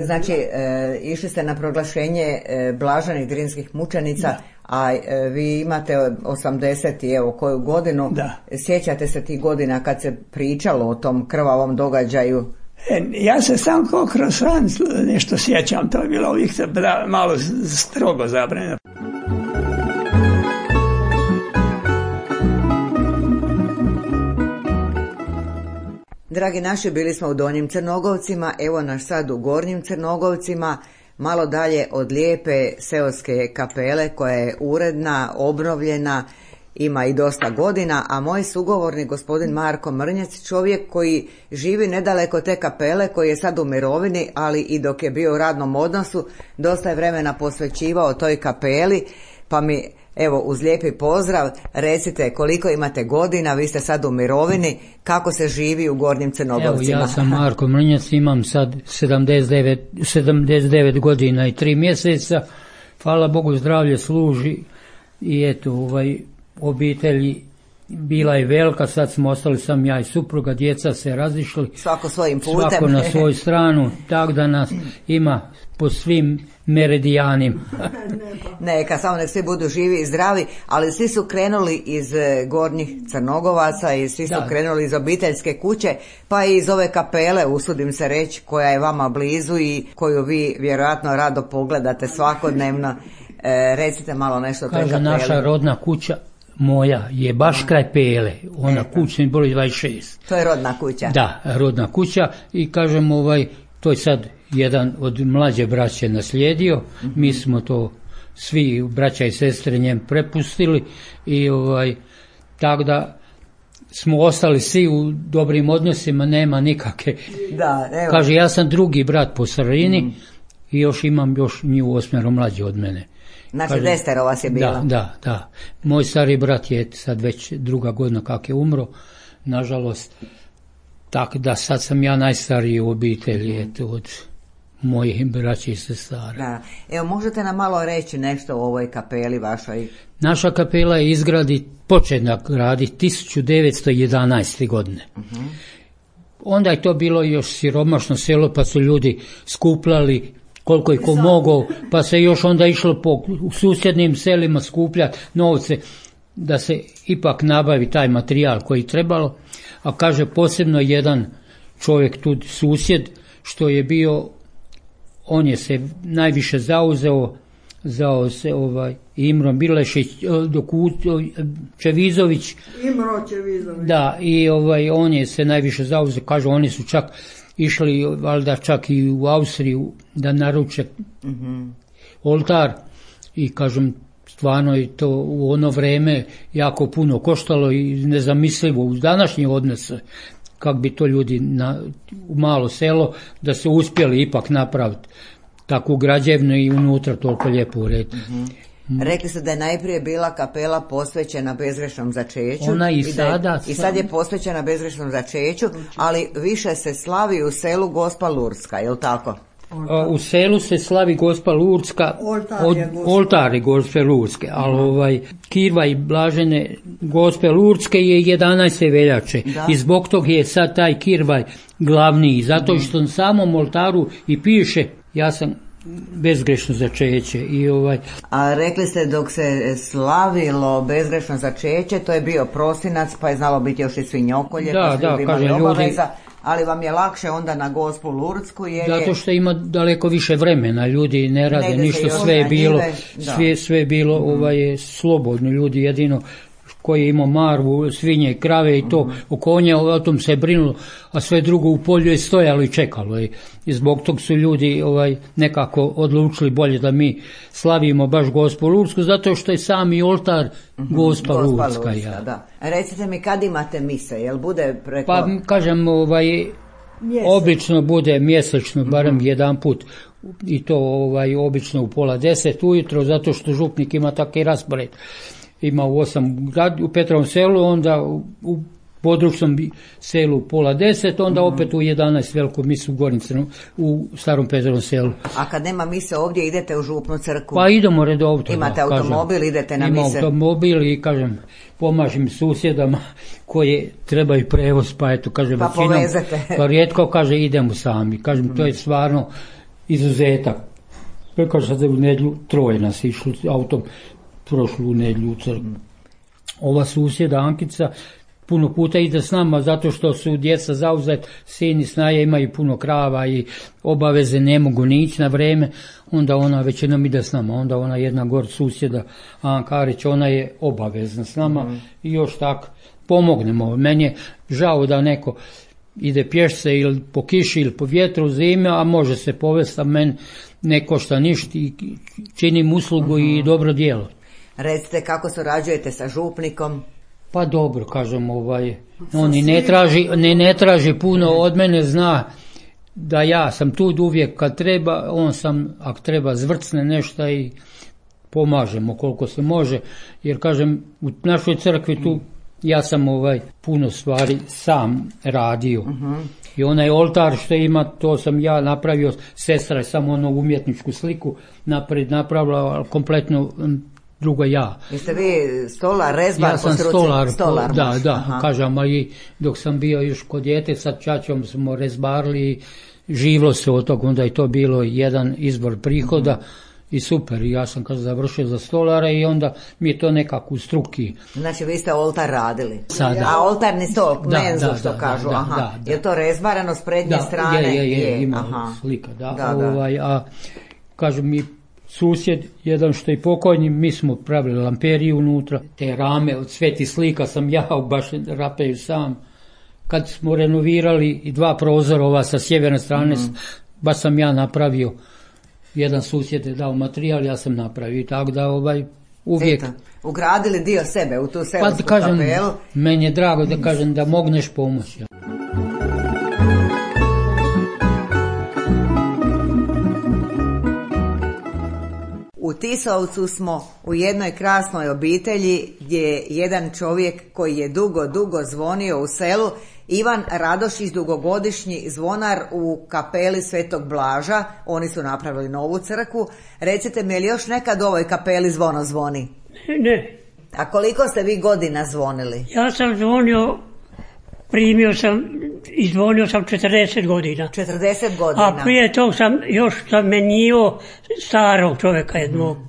Znači, e, išli ste na proglašenje e, blaženih drinskih mučenica, da. a e, vi imate osamdeset i evo koju godinu. Da. Sjećate se tih godina kad se pričalo o tom krvavom događaju? E, ja se sam kao kroz ran nešto sjećam, to je bilo uvijek malo strogo zabranjeno. Dragi naši, bili smo u Donjim Crnogovcima, evo nas sad u Gornjim Crnogovcima, malo dalje od lijepe seoske kapele koja je uredna, obnovljena, ima i dosta godina, a moj sugovornik gospodin Marko Mrnjac, čovjek koji živi nedaleko te kapele, koji je sad u mirovini, ali i dok je bio u radnom odnosu, dosta je vremena posvećivao toj kapeli, pa mi evo uz lijepi pozdrav recite koliko imate godina, vi ste sad u mirovini, kako se živi u Gornjim Crnogovcima? Evo ja sam Marko Mrnjac, imam sad sedamdeset devet godina i tri mjeseca, hvala Bogu zdravlje služi i eto ovaj obitelji bila je velika, sad smo ostali sam ja i supruga, djeca se razišli. Svako svojim putem. Svako na svoju stranu, tako da nas ima po svim meridijanima. Neka, samo nek svi budu živi i zdravi, ali svi su krenuli iz Gornjih Crnogovaca i svi su da. krenuli iz obiteljske kuće, pa i iz ove kapele, usudim se reći, koja je vama blizu i koju vi vjerojatno rado pogledate svakodnevno. E, recite malo nešto o toj kapeli. Kaže, naša rodna kuća moja je baš kraj Pele, ona kuća mi broj dvadeset šest. To je rodna kuća. Da, rodna kuća i kažem ovaj, to je sad jedan od mlađe braće naslijedio, mm-hmm. mi smo to svi braća i sestre njem prepustili i ovaj, tako da smo ostali svi u dobrim odnosima, nema nikakve. Da, evo. Kaže, ja sam drugi brat po sredini mm. i još imam još nju osmero mlađe od mene. Znači Kaže, desetero vas je bilo. Da, da, da. Moj stari brat je sad već druga godina kak je umro, nažalost. Tako da sad sam ja najstariji u obitelji, eto, od mojih braća i sestara. Da. Evo, možete nam malo reći nešto o ovoj kapeli vašoj? Naša kapela je izgradi, početna graditi tisuću devetsto jedanaeste. godine. Uh-huh. Onda je to bilo još siromašno selo, pa su ljudi skupljali koliko je ko mogao, pa se još onda išlo po susjednim selima skupljati novce da se ipak nabavi taj materijal koji trebalo, a kaže posebno jedan čovjek tu susjed što je bio, on je se najviše zauzeo, zao se ovaj Imro Bilešić, Čevizović. Imro Čevizović. Da, i ovaj on je se najviše zauzeo, kaže oni su čak išli valjda čak i u Austriju da naruče mm-hmm. oltar i kažem stvarno je to u ono vrijeme jako puno koštalo i nezamislivo uz današnje odnose kako bi to ljudi na, u malo selo da se uspjeli ipak napraviti takvu građevnu i unutra toliko lijepo urediti. Mm-hmm. Rekli ste da je najprije bila kapela posvećena bezgrešnom začeću. Ona i, i sada. Je, I sad je posvećena bezgrešnom začeću, ali više se slavi u selu Gospa Lurdska, je li tako? U selu se slavi Gospa Lurdska, od, oltari Gospe Lurdske, ali ovaj, kirva i blažene Gospe Lurdske je jedanaeste veljače da. I zbog tog je sad taj kirvaj glavniji, zato što na samom oltaru i piše, ja sam bezgrešno začeće. I ovaj... A rekli ste dok se slavilo bezgrešno začeće, to je bio prosinac, pa je znalo biti još i svinjokolje, da, pa su da, ljudi imali kaže, obaveza, ljudi... ali vam je lakše onda na Gospu Lurdsku jer je... Zato što ima daleko više vremena, ljudi ne rade ne ništa, sve je bilo, njive, sve, sve je bilo mm-hmm. ovaj, slobodno, ljudi jedino koji je imao marvu, svinje, krave i to, mm-hmm. o konje, o tom se je brinulo, a sve drugo u polju je stojalo i čekalo. I, i zbog tog su ljudi ovaj, nekako odlučili bolje da mi slavimo baš Gospu Lurdsku, zato što je sami oltar mm-hmm. Gospa, Gospa Lurdska. Lurdska ja. Da. Recite mi kad imate mise, jel bude preko... Pa kažem, ovaj, obično bude mjesečno, barem mm-hmm. jedan put. I to ovaj, obično u pola deset ujutro, zato što župnik ima taki raspored. Ima u osam u Petrovom selu, onda u područnom selu u pola deset, onda mm-hmm. opet u jedanaest veliku misu u Gornicenu, u Starom Petrovom selu. A kad nema mise ovdje, idete u župnu crkvu? Pa idemo redovito. Imate da, automobil, kažem, idete na ima mise? Ima automobil i kažem, pomažem susjedama koje trebaju prevoz, pa eto, kažem, pa većinom, povezete. Pa rijetko kaže idemo sami. Kažem, mm-hmm. to je stvarno izuzetak. Kaže sad u nedjelju troje nas išlo autom prošlu nedjelju u crkvu. Ova susjeda Ankica puno puta ide s nama zato što su djeca zauzet, sin i snaje imaju puno krava i obaveze ne mogu ni ići na vrijeme, onda ona većinom ide s nama, onda ona jedna gor susjeda Anka Arić, ona je obavezna s nama mm. i još tako pomognemo. Meni je žao da neko ide pješce ili po kiši ili po vjetru zime, a može se povesti, a meni ne košta ništa i činim uslugu mm-hmm. i dobro djelo. Recite kako surađujete sa župnikom? Pa dobro, kažem, ovaj, on i ne traži, ne, ne traži puno od mene, zna da ja sam tu uvijek kad treba, on sam, ako treba zvrcne nešto i pomažemo koliko se može, jer kažem, u našoj crkvi tu ja sam ovaj puno stvari sam radio. Uh-huh. I onaj oltar što ima, to sam ja napravio, sestra je samo onu umjetničku sliku napred napravila, kompletno drugo ja. Jeste vi stolar, rezbar? Ja sam stolar, stolar da, da, aha. Kažem, a i dok sam bio još kod djete, sa čačom smo rezbarili, živlo se od toga, onda je to bilo jedan izbor prihoda, uh-huh. I super, ja sam kad završio za stolara i onda mi je to nekako u struki. Znači vi ste oltar radili? Sada. A oltarni stol, menzu da, što da, kažu, da, aha. Da, da. Je to rezbarano s prednje da, strane? Je, je, je, je. ima aha. slika, da. da, da. Ovaj, a kažu mi susjed, jedan što je pokojni, mi smo pravili lamperiju unutra, te rame od sveti slika sam ja baš rapeju sam. Kad smo renovirali i dva prozora ova sa sjeverne strane, mm-hmm. baš sam ja napravio. Jedan susjed je dao materijal, ja sam napravio, tako da ovaj uvijek... Eto, ugradili dio sebe u tu selsku pa, kažem, kapelu. Meni je drago da kažem da mogneš pomoći. U Tisovcu smo u jednoj krasnoj obitelji gdje je jedan čovjek koji je dugo, dugo zvonio u selu, Ivan Radošić, dugogodišnji zvonar u kapeli Svetog Blaža. Oni su napravili novu crkvu. Recite mi, je li još nekad u ovoj kapeli zvono zvoni? Ne. A koliko ste vi godina zvonili? Ja sam zvonio, primio sam i zvonio sam četrdeset godina. četrdeset godina? A prije tog sam još zamenio starog čovjeka jednog, mm.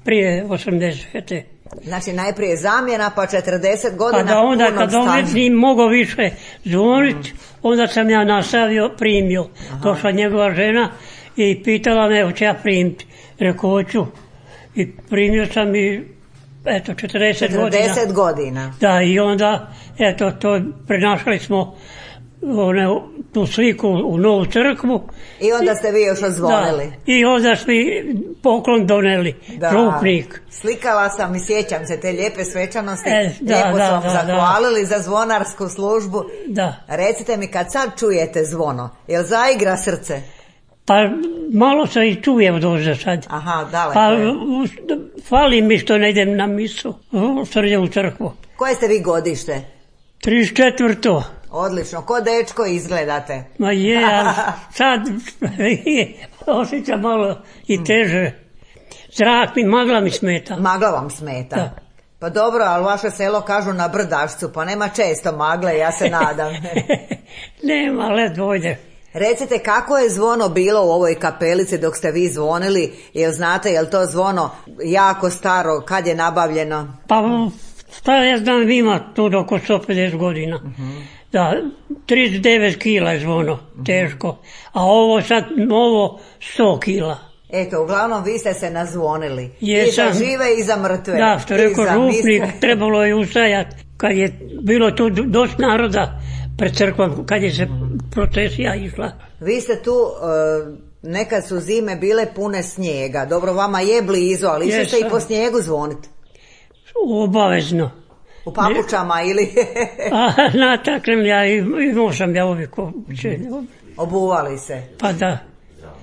prije osamdesete. Znači najprije zamjena, pa četrdeset godina. Pa da onda punog kad ovdje mogao više zvoniti, mm. onda sam ja nastavio, primio. Aha. Došla njegova žena i pitala me hoće ja primiti. Rekao hoću. I primio sam i eto četrdeset godina. četrdeset godina. Da, i onda eto to prenašali smo one, tu sliku u novu crkvu. I onda ste vi još odzvonili. Da, i onda smo poklon doneli, da, župnik. Slikala sam i sjećam se te lijepe svečanosti, e, da, lijepo da, sam da, zahvalili da. za zvonarsku službu. Da. Recite mi, kad sad čujete zvono, jel zaigra srce? Pa malo se i čujem dođe sad. Aha, daleko pa, je. Fali mi što ne idem na misu, u srđavu crkvu. Koje ste vi godište? trideset četvrto. Odlično, ko dečko izgledate. Ma je, ali sad osjećam malo i teže. Zrak mi, magla mi smeta. Magla vam smeta? Da. Pa dobro, ali vaše selo kažu na Brdašcu, pa nema često magle, ja se nadam. Nema, led dojde. Recite, kako je zvono bilo u ovoj kapelici dok ste vi zvonili? Jel znate, jel to zvono jako staro, kad je nabavljeno? Pa, šta ja znam, ima to oko sto pedeset godina. Uh-huh. Da, trideset devet kila je zvono, teško. A ovo sad, novo, sto kila. Eto, uglavnom vi ste se nazvonili. Jesam. I za žive i za mrtve. Da, što rekao župnik, trebalo je ustajati. Kad je bilo tu dosta naroda pred crkvom, kad je se procesija išla. Vi ste tu, uh, nekad su zime bile pune snijega. Dobro, vama je blizu, ali išli ste i po snijegu zvoniti? Obavezno. U papučama ili? A, nataknem ja, imao sam ja uvijek obuće. Obuvali se? Pa da.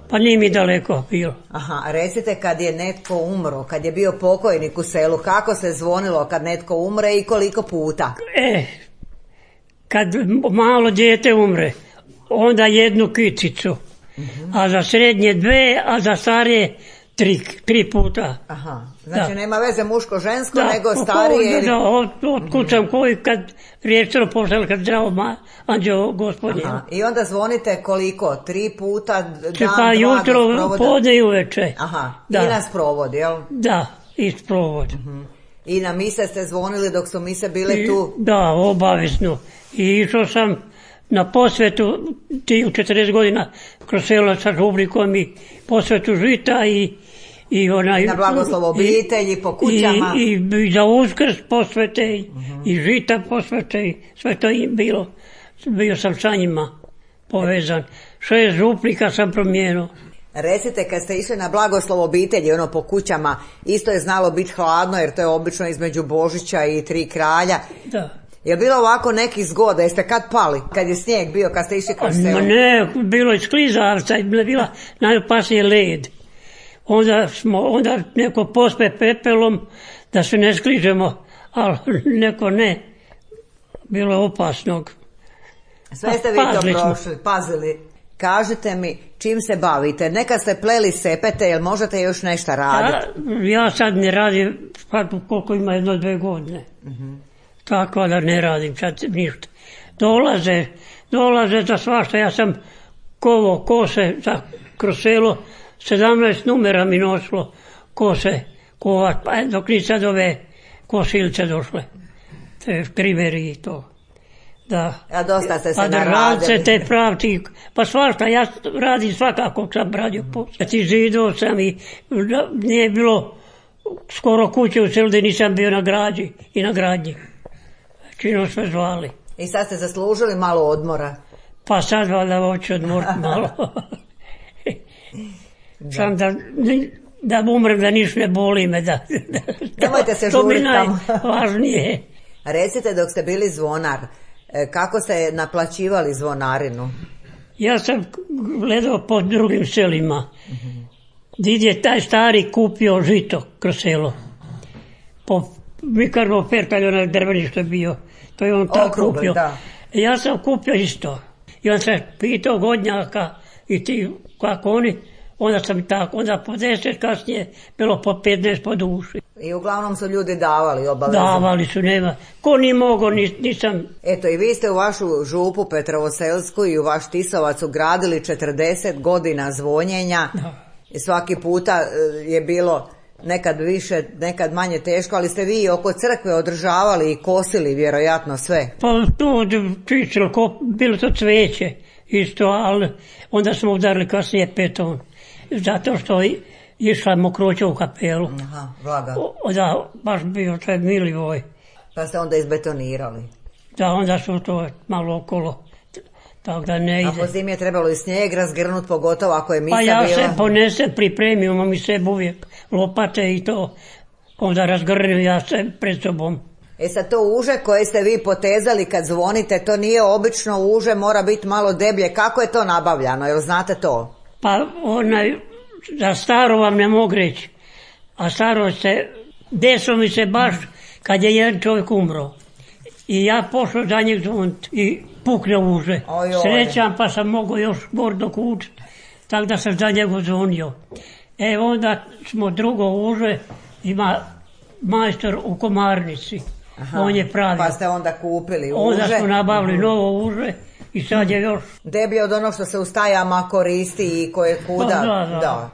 Pa nije mi daleko bilo. Aha, recite, kad je netko umro, kad je bio pokojnik u selu, kako se zvonilo kad netko umre i koliko puta? E, kad malo dijete umre, onda jednu kicicu, uh-huh. a za srednje dve, a za starije tri, tri puta. Aha, znači da. nema veze muško-žensko, da, nego starije. Ili... Da, od, otkucam uh-huh. koji kad riječero poslali, kad zdravo ma, anđeo gospodin. Aha, i onda zvonite koliko? Tri puta, dan, Če pa dva, jutro, podne i uveče. Aha, da. I nas provod, jel? Da, i sprovod. Uh-huh. I na mise ste zvonili dok su mise bile I, tu? Da, obavezno. I išao sam na posvetu, ti u četrdeset godina, kroz selo sa žubrikom i posvetu žita i, i onaj... Na blagoslov obitelji, po kućama. I, i, i za Uskrs posvete, uh-huh. i žita posvete, i sve to im bilo. Bio sam sa njima povezan. Šest župnika sam promijenio. Recite, kad ste išli na blagoslov obitelji, ono po kućama, isto je znalo biti hladno, jer to je obično između Božića i Tri kralja. Da. Je bilo ovako nekih zgoda, jeste kad pali, kad je snijeg bio, kad ste išli kroz selo? Ne, bilo je sklizavca, je bila najopasnije led. Onda smo, onda neko pospe pepelom da se ne skližemo, ali neko ne. Bilo je opasnog. Sve ste vi to prošli, pazili. Kažite mi, čim se bavite? Nekad ste pleli sepete, jel možete još nešto raditi? Ja, ja sad ne radim, sad koliko ima jedno, dve godine. Uh-huh. Tako da ne radim sad ništa. Dolaze, dolaze za svašta. Ja sam kovo kose za kroz selo, sedamnaest numera mi nosilo kose kovat, pa dok ni sad ove kosilce došle. Te kriveri i to. Da. A dosta ste se pa naradili. Te pravci, pa svašta, ja radim svakako sam radio posao. Ti zidao sam i nije bilo skoro kuće u selu da nisam bio na građi i na gradnji. Čino sve zvali. I sad ste zaslužili malo odmora? Pa sad valjda hoću odmoriti malo. Sam da, da umrem, da niš ne boli me. Da, da, Nemojte se žuriti tamo. To mi najvažnije. Recite, dok ste bili zvonar, kako ste naplaćivali zvonarinu? Ja sam gledao po drugim selima. Mm-hmm. Did je taj stari kupio žito kroz selo. Po Mikarno Perkalj, onaj drveni što je bio. To je on tako kupio. Da. Ja sam kupio isto. I on se pitao godnjaka i ti kako oni, onda sam tako, onda po deset kasnije bilo po petnaest po duši. I uglavnom su ljudi davali obavezno. Davali su, nema. Ko ni mogo, nis, nisam... Eto, i vi ste u vašu župu Petrovoselsku i u vaš Tisovac ugradili četrdeset godina zvonjenja. Da. I svaki puta je bilo nekad više, nekad manje teško, ali ste vi oko crkve održavali i kosili vjerojatno sve. Pa to čičilo, bilo to cveće isto, ali onda smo udarili kasnije beton. Zato što išla mokroća u kapelu. Aha, vlaga. O, da, baš bio taj Milivoj. Pa ste onda izbetonirali. Da, onda su to malo okolo. Tako da ne ide. A po zimi je trebalo i snijeg razgrnut, pogotovo ako je misa bila. Pa ja bila. se ponesem, pripremio, imam i sebi uvijek lopate i to. Onda razgrnim ja se pred sobom. E sad to uže koje ste vi potezali kad zvonite, to nije obično uže, mora biti malo deblje. Kako je to nabavljano, jel znate to? Pa onaj, za staro vam ne mogu reći. A staro se, desilo mi se baš kad je jedan čovjek umro. I ja pošao za njeg zvoniti i pukne uže. Srećan pa sam mogao još gordo kućiti. Tako da sam za njega zvonio. E onda smo drugo uže, ima majstor u Komarnici. Aha, on je pravio. Pa ste onda kupili uže. Onda smo nabavili novo uže, I sad je još... Deblje od onog što se u stajama koristi i koje kuda. Pa, da, da. da.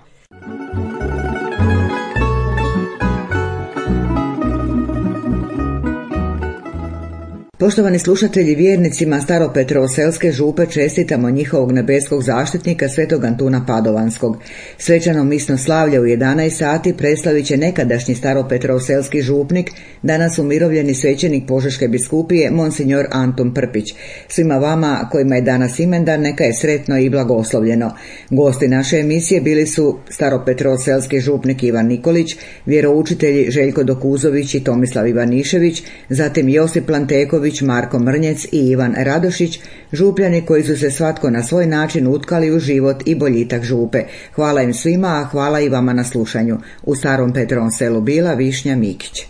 Poštovani slušatelji, vjernicima Staropetrovoselske župe čestitamo njihovog nebeskog zaštitnika svetog Antuna Padovanskog. Svečano misno slavlje u jedanaest sati predstavit će nekadašnji Staropetrovoselski župnik, danas umirovljeni svećenik Požeške biskupije, monsinjor Antun Prpić. Svima vama kojima je danas imendan, neka je sretno i blagoslovljeno. Gosti naše emisije bili su Staropetrovoselski župnik Ivan Nikolić, vjeroučitelji Željko Dokuzović i Tomislav Ivanišević, zatim Josip Lanteković, Marko Mrnjec i Ivan Radošić, župljani koji su se svatko na svoj način utkali u život i boljitak župe. Hvala im svima, a hvala i vama na slušanju. U Starom Petrovom selu bila Višnja Mikić.